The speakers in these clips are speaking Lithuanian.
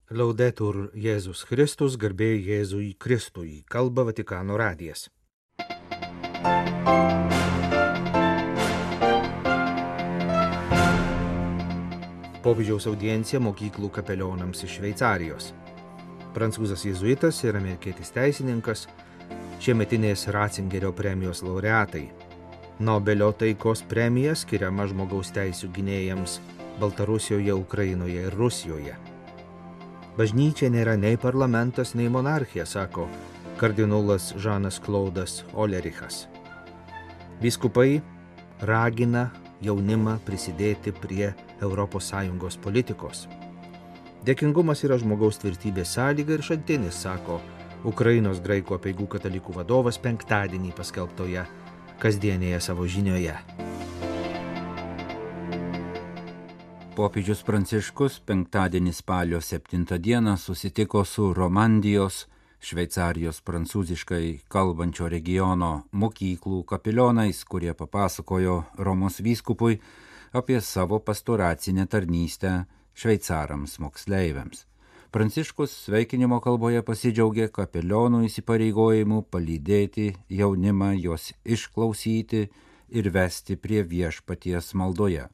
Laudetur Jėzus Kristus, garbė Jėzui Kristui, kalba Vatikano radijas. Popiežiaus audiencija mokyklų kapelionams iš Šveicarijos. Prancūzas jėzuitas ir amerikietis teisininkas, šiemetinės Ratzingerio premijos laureatai. Nobelio taikos premija skiriama žmogaus teisių gynėjams Baltarusijoje, Ukrainoje ir Rusijoje. Bažnyčia nėra nei parlamentas, nei monarchija, sako kardinolas Žanas Klaudas Olerichas. Vyskupai ragina jaunimą prisidėti prie ES politikos. Dėkingumas yra žmogaus tvirtybės sąlyga ir šaltinis, sako Ukrainos graikų apeigų katalikų vadovas penktadienį paskelbtoje kasdienėje savo žinioje. Popiežius Pranciškus penktadienį spalio 7 dieną susitiko su Romandijos, Šveicarijos prancūziškai kalbančio regiono mokyklų kapelionais, kurie papasakojo Romos vyskupui apie savo pastoracinę tarnystę šveicarams moksleiviams. Pranciškus sveikinimo kalboje pasidžiaugė kapelionų įsipareigojimu palydėti jaunimą, jos išklausyti ir vesti prie viešpaties maldoje.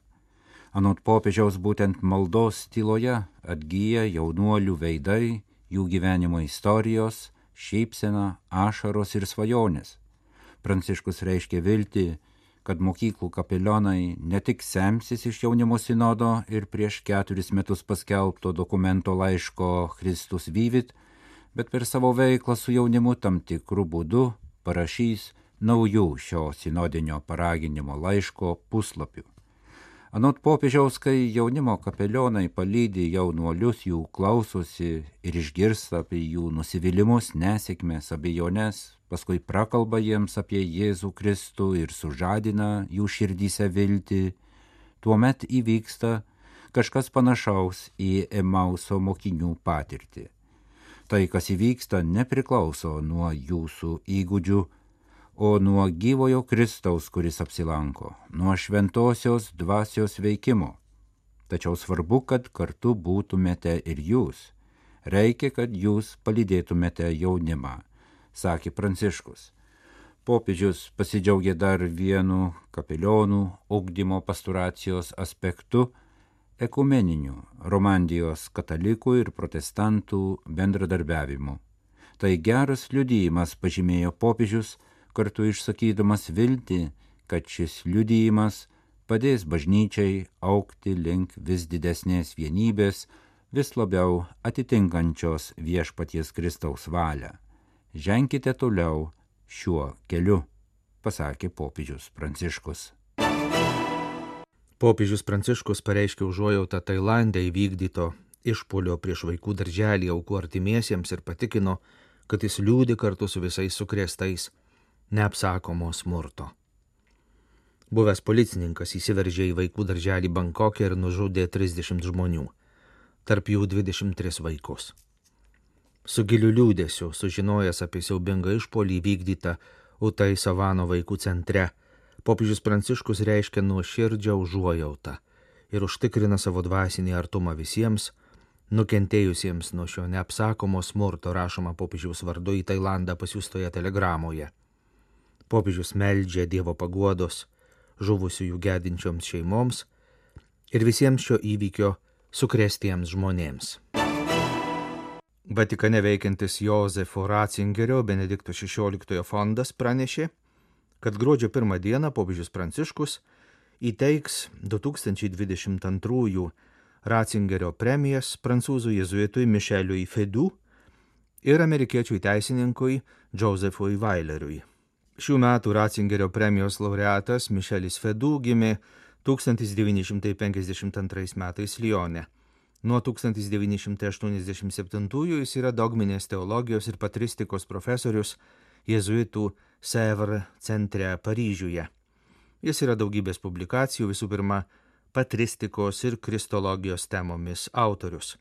Anot popiežiaus būtent maldos tyloje atgyja jaunuolių veidai, jų gyvenimo istorijos, šypsena, ašaros ir svajonės. Pranciškus reiškė viltį, kad mokyklų kapelionai ne tik semsis iš jaunimo sinodo ir prieš 4 metus paskelbto dokumento laiško Christus Vivit, bet per savo veiklą su jaunimu tam tikrų būdų parašys naujų šio sinodinio paraginimo laiško puslapių. Anot popiežiaus, kai jaunimo kapelionai palydi jaunuolius, jų klausosi ir išgirsta apie jų nusivylimus, nesėkmes, abejones, paskui prakalba jiems apie Jėzų Kristų ir sužadina jų širdyse viltį, tuomet įvyksta kažkas panašaus į Emauso mokinių patirtį. Tai, kas įvyksta, nepriklauso nuo jūsų įgūdžių, o nuo gyvojo Kristaus, kuris apsilanko, nuo šventosios dvasios veikimo. Tačiau svarbu, kad kartu būtumėte ir jūs. Reikia, kad jūs palydėtumėte jaunimą, sakė Pranciškus. Popiežius pasidžiaugė dar vienu kapelionų ugdymo pastoracijos aspektu – ekumeniniu Romandijos katalikų ir protestantų bendradarbiavimu. Tai geras liudijimas, pažymėjo popiežius, kartu išsakydamas viltį, kad šis liudijimas padės bažnyčiai augti link vis didesnės vienybės, vis labiau atitinkančios viešpaties Kristaus valią. Ženkite toliau šiuo keliu, pasakė popiežius Pranciškus. Popiežius Pranciškus pareiškė užuojautą Tailande įvykdyto išpuolio prieš vaikų darželį aukų artimiesiems ir patikino, kad jis liūdi kartu su visais sukrėstais neapsakomo smurto. Buvęs policininkas įsiveržė į vaikų darželį Bankoke ir nužudė 30 žmonių, tarp jų 23 vaikus. Su giliu liūdėsiu, sužinojęs apie siaubingą išpuolį vykdytą Utai Savano vaikų centre, popiežius Pranciškus reiškia nuoširdžią užuojautą ir užtikrina savo dvasinį artumą visiems nukentėjusiems nuo šio neapsakomo smurto, rašoma popiežiaus vardu į Tailandą pasiųstoje telegramoje. Popiežius meldžia Dievo paguodos žuvusiųjų gedinčioms šeimoms ir visiems šio įvykio sukrėstiems žmonėms. Vatikane veikiantis Jozefo Ratzingerio Benedikto XVI fondas pranešė, kad gruodžio 1 dieną popiežius Pranciškus įteiks 2022 Ratzingerio premijas prancūzų jėzuitui Micheliui Fedou ir amerikiečiui teisininkui Josephui Weileriui. Šių metų Ratzingerio premijos laureatas Michelis Fedou gimė 1952 metais Lione. Nuo 1987 jis yra dogminės teologijos ir patristikos profesorius jėzuitų Sèvres centre Paryžiuje. Jis yra daugybės publikacijų, visų pirma, patristikos ir kristologijos temomis autorius.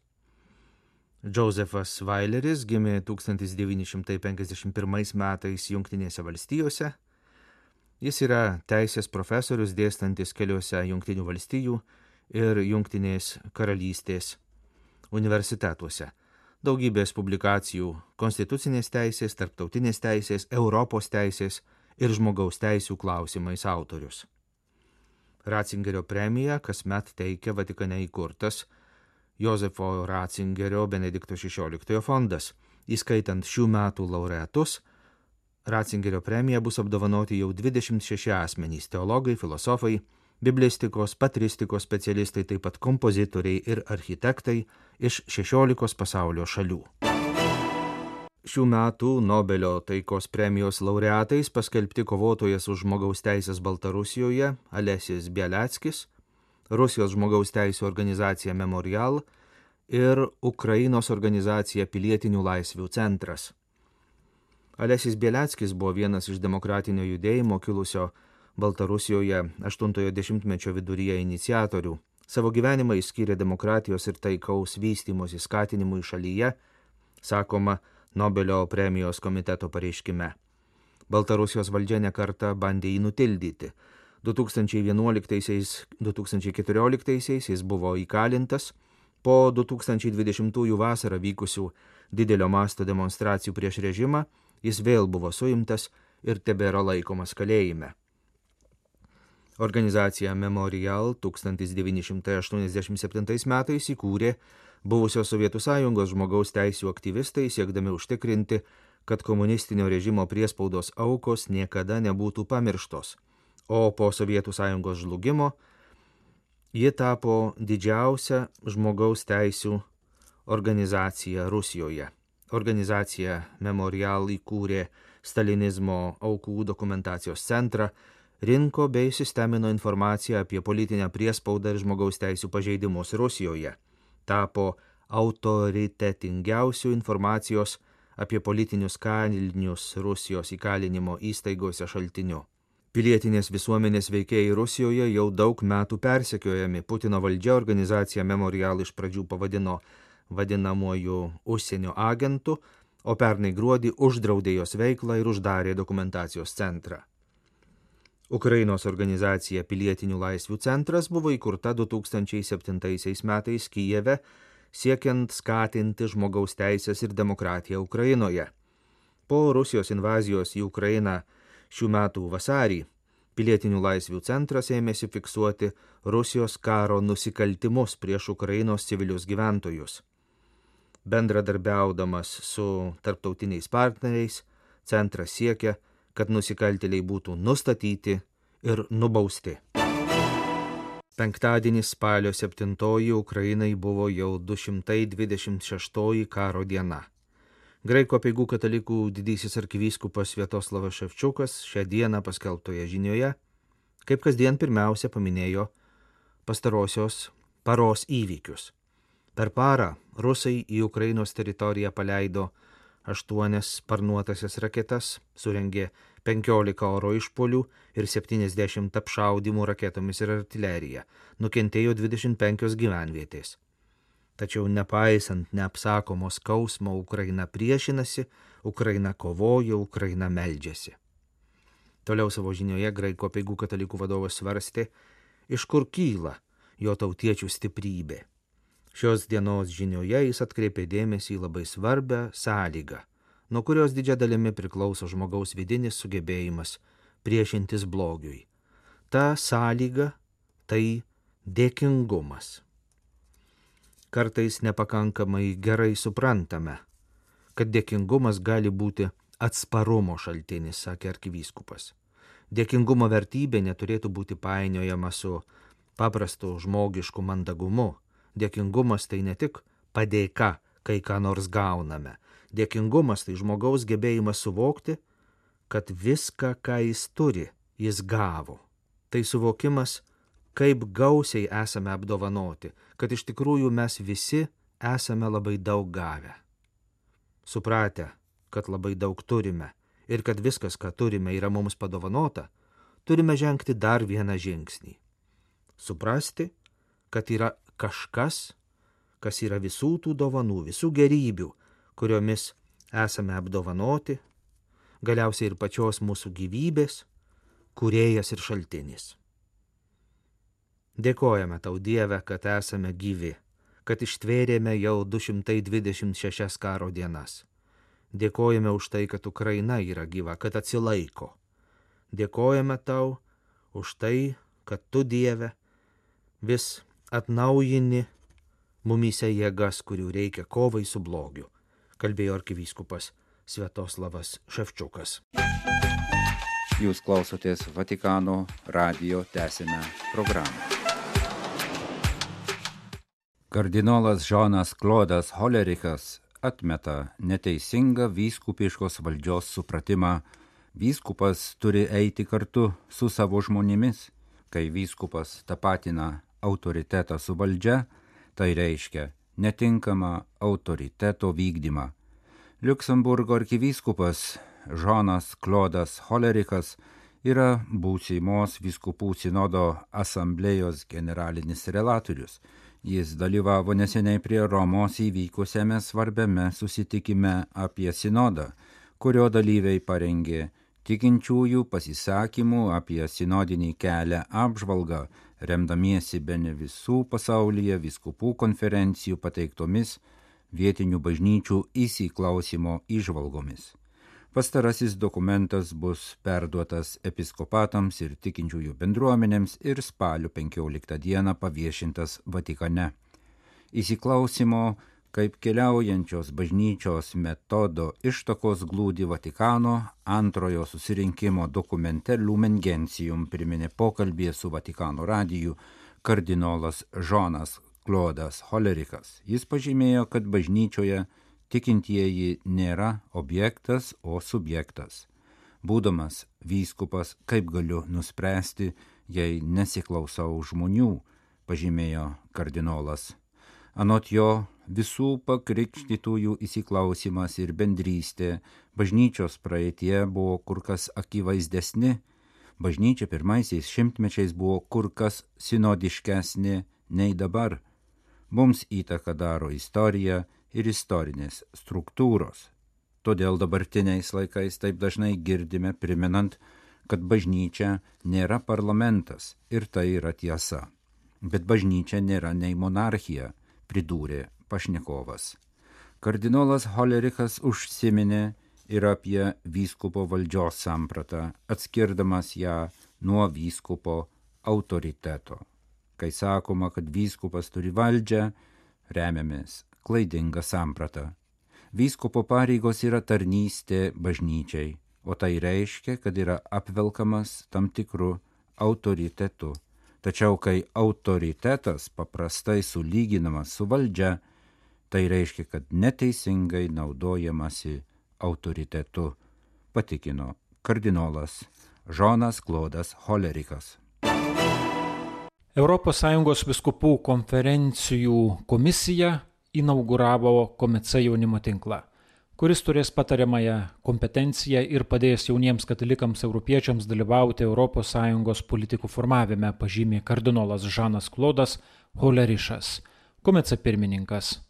Josephas Weileris gimė 1951 metais Jungtinėse valstijose. Jis yra teisės profesorius dėstantis keliuose Jungtinių valstijų ir Jungtinės karalystės universitetuose. daugybės publikacijų konstitucinės teisės, tarptautinės teisės, Europos teisės ir žmogaus teisių klausimais autorius. Ratzingerio premiją kasmet teikia Vatikane įkurtas Jozefo Ratzingerio Benedikto XVI fondas. Įskaitant šių metų laureatus, Ratzingerio premija bus apdovanoti jau 26 asmenys – teologai, filosofai, biblistikos, patristikos specialistai, taip pat kompozitoriai ir architektai iš 16 pasaulio šalių. Šių metų Nobelio taikos premijos laureatais paskelbti kovotojas už žmogaus teisės Baltarusijoje Alesis Bialiackis, Rusijos žmogaus teisų organizacija Memorial ir Ukrainos organizacija Pilietinių laisvių centras. Alesis Bialiackis buvo vienas iš demokratinio judėjimo kilusio Baltarusijoje 80-mečio viduryje iniciatorių. Savo gyvenimą jis skyrė demokratijos ir taikaus vystymosi skatinimui šalyje, sakoma Nobelio premijos komiteto pareiškime. Baltarusijos valdžia nekartą bandė jį nutildyti. 2011-2014 jis buvo įkalintas, po 2020 vasarą vykusių didelio masto demonstracijų prieš režimą jis vėl buvo suimtas ir tebėra laikomas kalėjime. Organizacija Memorial 1987 metais įkūrė buvusios Sovietų Sąjungos žmogaus teisių aktyvistai, siekdami užtikrinti, kad komunistinio režimo priespaudos aukos niekada nebūtų pamirštos, o po Sovietų Sąjungos žlugimo ji tapo didžiausia žmogaus teisių organizacija Rusijoje. Organizacija Memorial įkūrė stalinizmo aukų dokumentacijos centrą, rinko bei sistemino informaciją apie politinę priespaudą ir žmogaus teisių pažeidimus Rusijoje. Tapo autoritetingiausių informacijos apie politinius kalinius Rusijos įkalinimo įstaigose šaltiniu. Pilietinės visuomenės veikėjai Rusijoje jau daug metų persekiojami. Putino valdžia organizaciją Memorial iš pradžių pavadino vadinamuoju užsienio agentu, o pernai gruodį uždraudė jos veiklą ir uždarė dokumentacijos centrą. Ukrainos organizacija Pilietinių laisvių centras buvo įkurta 2007 metais Kijeve, siekiant skatinti žmogaus teisės ir demokratiją Ukrainoje. Po Rusijos invazijos į Ukrainą šių metų vasarį Pilietinių laisvių centras ėmėsi fiksuoti Rusijos karo nusikaltimus prieš Ukrainos civilius gyventojus. Bendradarbiaudamas su tarptautiniais partneriais, centras siekia, kad nusikaltėliai būtų nustatyti ir nubausti. Penktadienį spalio 7 Ukrainai buvo jau 226 karo diena. Graikų apeigų katalikų didysis arkivyskupas Sviatoslavas Ševčiukas šią dieną paskelbtoje žinioje, kaip kasdien pirmiausia paminėjo pastarosios paros įvykius. Per parą rusai į Ukrainos teritoriją paleido 8 sparnuotasias raketas, surengė 15 oro išpuolių ir 70 apšaudymų raketomis ir artilerija, nukentėjo 25 gyvenvietės. Tačiau nepaisant neapsakomo skausmo, Ukraina priešinasi, Ukraina kovoja, Ukraina meldžiasi. Toliau savo žinioje Graikų apeigų katalikų vadovas svarstė, iš kur kyla jo tautiečių stiprybė. Šios dienos žinioje jis atkreipė dėmesį į labai svarbią sąlygą, nuo kurios didžia dalimi priklauso žmogaus vidinis sugebėjimas priešintis blogiui. Ta sąlyga tai dėkingumas. Kartais nepakankamai gerai suprantame, kad dėkingumas gali būti atsparumo šaltinis, sakė arkivyskupas. Dėkingumo vertybė neturėtų būti painiojama su paprastu žmogišku mandagumu. Dėkingumas tai ne tik padėka, kai ką nors gauname. Dėkingumas tai žmogaus gebėjimas suvokti, kad viską, ką jis turi, jis gavo. Tai suvokimas, kaip gausiai esame apdovanoti, kad iš tikrųjų mes visi esame labai daug gavę. Supratę, kad labai daug turime ir kad viskas, ką turime, yra mums padovanota, turime žengti dar vieną žingsnį. Suprasti, kad yra kažkas, kas yra visų tų dovanų, visų gerybių, kuriomis esame apdovanoti, galiausiai ir pačios mūsų gyvybės, kūrėjas ir šaltinis. Dėkojame tau, Dieve, kad esame gyvi, kad ištvėrėme jau 226 karo dienas. Dėkojame už tai, kad Ukraina yra gyva, kad atsilaiko. Dėkojame tau už tai, kad tu, Dieve, vis atnaujini mumyse jėgas, kurių reikia kovai su blogiu, kalbėjo arkivyskupas Sviatoslavas Ševčiukas. Jūs klausotės Vatikano radijo, tęsime programą. Kardinolas Žanas Klodas Holerichas atmeta neteisingą vyskupiškos valdžios supratimą. Vyskupas turi eiti kartu su savo žmonėmis. Kai vyskupas tapatina autoritetą su valdžia, tai reiškia netinkamą autoriteto vykdymą. Liuksemburgo arkivyskupas Žanas Klodas Holerichas yra būsimos vyskupų sinodo asamblėjos generalinis relatorius. Jis dalyvavo neseniai prie Romos įvykusiame svarbiame susitikime apie sinodą, kurio dalyviai parengė tikinčiųjų pasisakymų apie sinodinį kelią apžvalgą, remdamiesi bene visų pasaulyje vyskupų konferencijų pateiktomis vietinių bažnyčių įsiklausimo įžvalgomis. Pastarasis dokumentas bus perduotas episkopatams ir tikinčiųjų bendruomenėms ir spalio 15 dieną paviešintas Vatikane. Įsiklausimo kaip keliaujančios bažnyčios metodo ištakos glūdi Vatikano antrojo susirinkimo dokumente Lumen Gentium priminė pokalbėje su Vatikano radiju kardinolas Žanas Klodas Holerichas. Jis pažymėjo, kad bažnyčioje tikintieji nėra objektas, o subjektas. Būdamas vyskupas, kaip galiu nuspręsti, jei nesiklausau žmonių, pažymėjo kardinolas. Anot jo, visų pakrikštytųjų įsiklausimas ir bendrystė bažnyčios praeitie buvo kur kas akivaizdesni. Bažnyčia pirmaisiais šimtmečiais buvo kur kas sinodiškesnė nei dabar. Mums įtaką daro istorija ir istorinės struktūros. Todėl dabartiniais laikais taip dažnai girdime priminant, kad bažnyčia nėra parlamentas ir tai yra tiesa. Bet bažnyčia nėra nei monarchija, pridūrė pašnekovas. Kardinolas Holerichas užsiminė ir apie vyskupo valdžios sampratą, atskirdamas ją nuo vyskupo autoriteto. Kai sakoma, kad vyskupas turi valdžią, remiamės klaidinga samprata. Vyskupo pareigos yra tarnystė bažnyčiai, o tai reiškia, kad yra apvelkamas tam tikru autoritetu. Tačiau kai autoritetas paprastai sulyginamas su valdžia, tai reiškia, kad neteisingai naudojamasi autoritetu, patikino kardinolas Žanas Klodas Holerichas. ES vyskupų konferencijų komisija inauguravo Komece jaunimo tinklą, kuris turės patariamąją kompetenciją ir padės jauniems katalikams europiečiams dalyvauti ES politikų formavime, pažymė kardinolas Žanas Klodas Holerichas, Komece pirmininkas.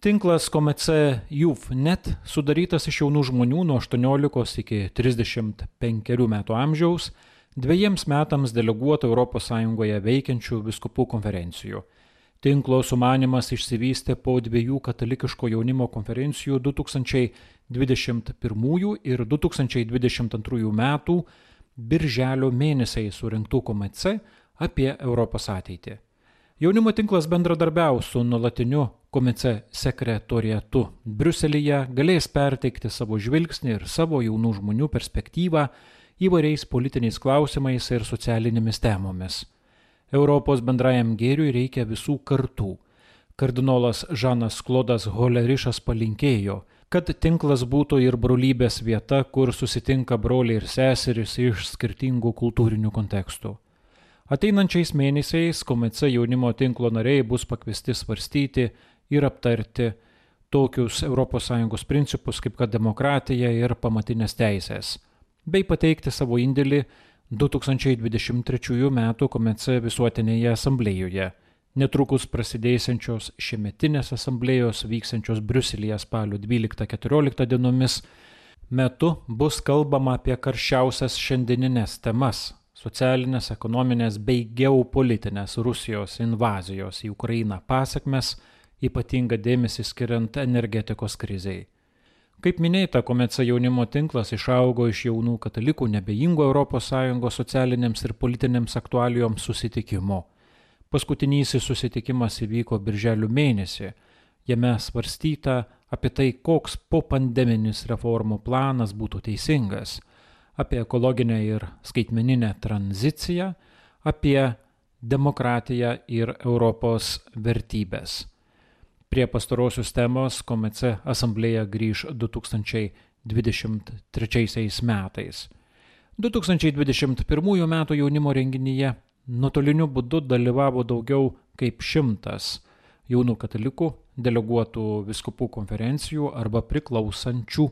Tinklas Komece Youth.net sudarytas iš jaunų žmonių nuo 18 iki 35 metų amžiaus, 2 metams deleguotų ES veikiančių vyskupų konferencijų. Tinklo sumanymas išsivystė po 2 katalikiško jaunimo konferencijų 2021 ir 2022 metų birželio mėnesiai surinktų Komece apie Europos ateitį. Jaunimo tinklas bendradarbiaus su nuolatiniu Komece sekretoriatu Briuselyje, galės perteikti savo žvilgsnį ir savo jaunų žmonių perspektyvą įvairiais politiniais klausimais ir socialinėmis temomis. Europos bendrajam gėriui reikia visų kartų. Kardinolas Žanas Klodas Holerichas palinkėjo, kad tinklas būtų ir brolybės vieta, kur susitinka broliai ir seserys iš skirtingų kultūrinių kontekstų. Ateinančiais mėnesiais Komece jaunimo tinklo nariai bus pakviesti svarstyti ir aptarti tokius ES principus kaip kad demokratija ir pamatinės teisės, bei pateikti savo indėlį 2023 metų Komece visuotinėje asamblėjoje, netrukus prasidėsiančios šiemetinės asamblėjos vyksiančios Briuselyje spalio 12-14 dienomis metu bus kalbama apie karščiausias šiandieninės temas socialinės, ekonominės bei geopolitinės Rusijos invazijos į Ukrainą pasekmes, ypatingą dėmesį skiriant energetikos krizei. Kaip minėta, Komece jaunimo tinklas išaugo iš jaunų katalikų nebejingų ES socialinėms ir politinėms aktualijoms susitikimo. Paskutinysis susitikimas įvyko birželio mėnesį. Jame svarstyta apie tai, koks popandeminis reformų planas būtų teisingas, apie ekologinę ir skaitmeninę tranziciją, apie demokratiją ir Europos vertybės. Prie pastarosios temos Komece asamblėja grįž 2023 metais. 2021 metų jaunimo renginyje nuotoliniu būdu dalyvavo daugiau kaip 100 jaunų katalikų, deleguotų vyskupų konferencijų arba priklausančių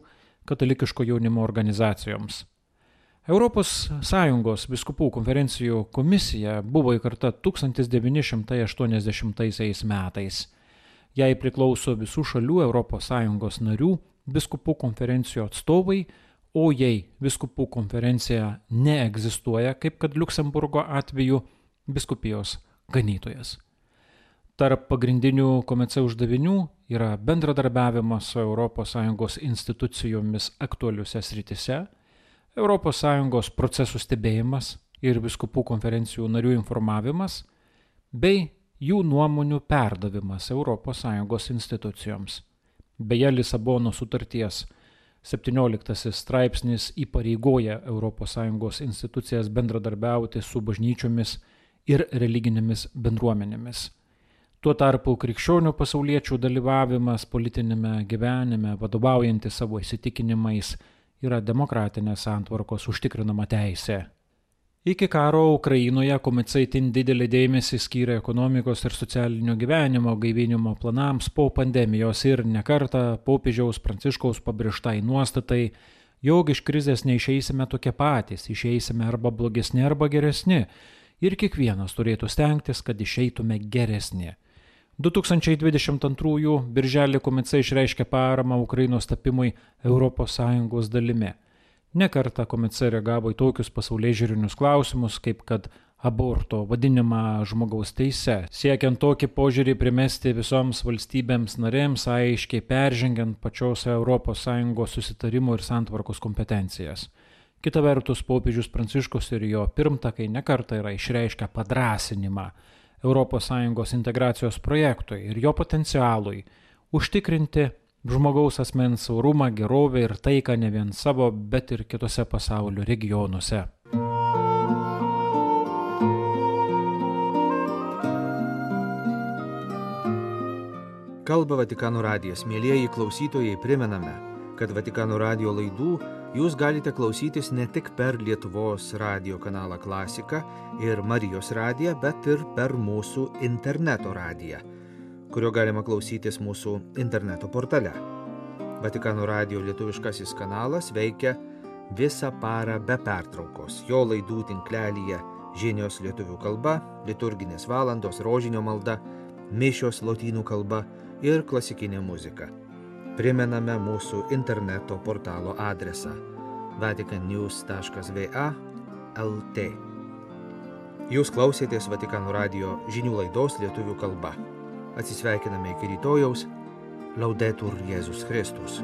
katalikiško jaunimo organizacijoms. ES vyskupų konferencijų komisija buvo įkurta 1980 metais. Jai priklauso visų šalių ES narių vyskupų konferencijų atstovai, o jei vyskupų konferencija neegzistuoja, kaip kad Liuksemburgo atveju, vyskupijos ganytojas. Tarp pagrindinių Komece uždavinių yra bendradarbiavimas su ES institucijomis aktualiuose srityse, ES procesų stebėjimas ir vyskupų konferencijų narių informavimas, bei jų nuomonių perdavimas ES institucijoms. Beje, Lisabonos sutarties 17 straipsnis įpareigoja ES institucijas bendradarbiauti su bažnyčiomis ir religinėmis bendruomenėmis. Tuo tarpu krikščionių pasauliečių dalyvavimas politinėme gyvenime, vadovaujantis savo įsitikinimais, yra demokratinės santvarkos užtikrinama teisė. Iki karo Ukrainoje Komece itin didelį dėmesį skyrė ekonomikos ir socialinio gyvenimo gaivinimo planams po pandemijos ir nekartą popiežiaus Pranciškaus pabrėžtai nuostatai, jog iš krizės neišeisime tokie patys, išeisime arba blogesni, arba geresni ir kiekvienas turėtų stengtis, kad išeitume geresni. 2022 birželį Komece išreiškė paramą Ukrainos tapimui ES dalimi. Nekartą Komece reagavo į tokius pasaulėžiūrinius klausimus, kaip kad aborto vadinimą žmogaus teise, siekiant tokį požiūrį primesti visoms valstybėms narėms, aiškiai peržengiant pačios ES susitarimo ir santvarkos kompetencijas. Kita vertus, popiežius Pranciškus ir jo pirmtakai nekartą yra išreiškę padrąsinimą ES integracijos projektui ir jo potencialui užtikrinti žmogaus asmens orumą, gerovę ir taiką ne vien savo, bet ir kitose pasaulio regionuose. Kalba Vatikano radijas. Mielieji klausytojai, primename, kad Vatikano radijo laidų jūs galite klausytis ne tik per Lietuvos radijo kanalą Klasika ir Marijos radiją, bet ir per mūsų interneto radiją, kurio galima klausytis mūsų interneto portale. Vatikano radijo lietuviškasis kanalas veikia visą parą be pertraukos. Jo laidų tinklelyje žinios lietuvių kalba, liturginės valandos, rožinio malda, mišios lotynų kalba ir klasikinė muzika. Primename mūsų interneto portalo adresą vaticannews.va/lt. Jūs klausėtės Vatikano radijo žinių laidos lietuvių kalba. Atsisveikiname iki rytojaus. Laudetur Jėzus Kristus.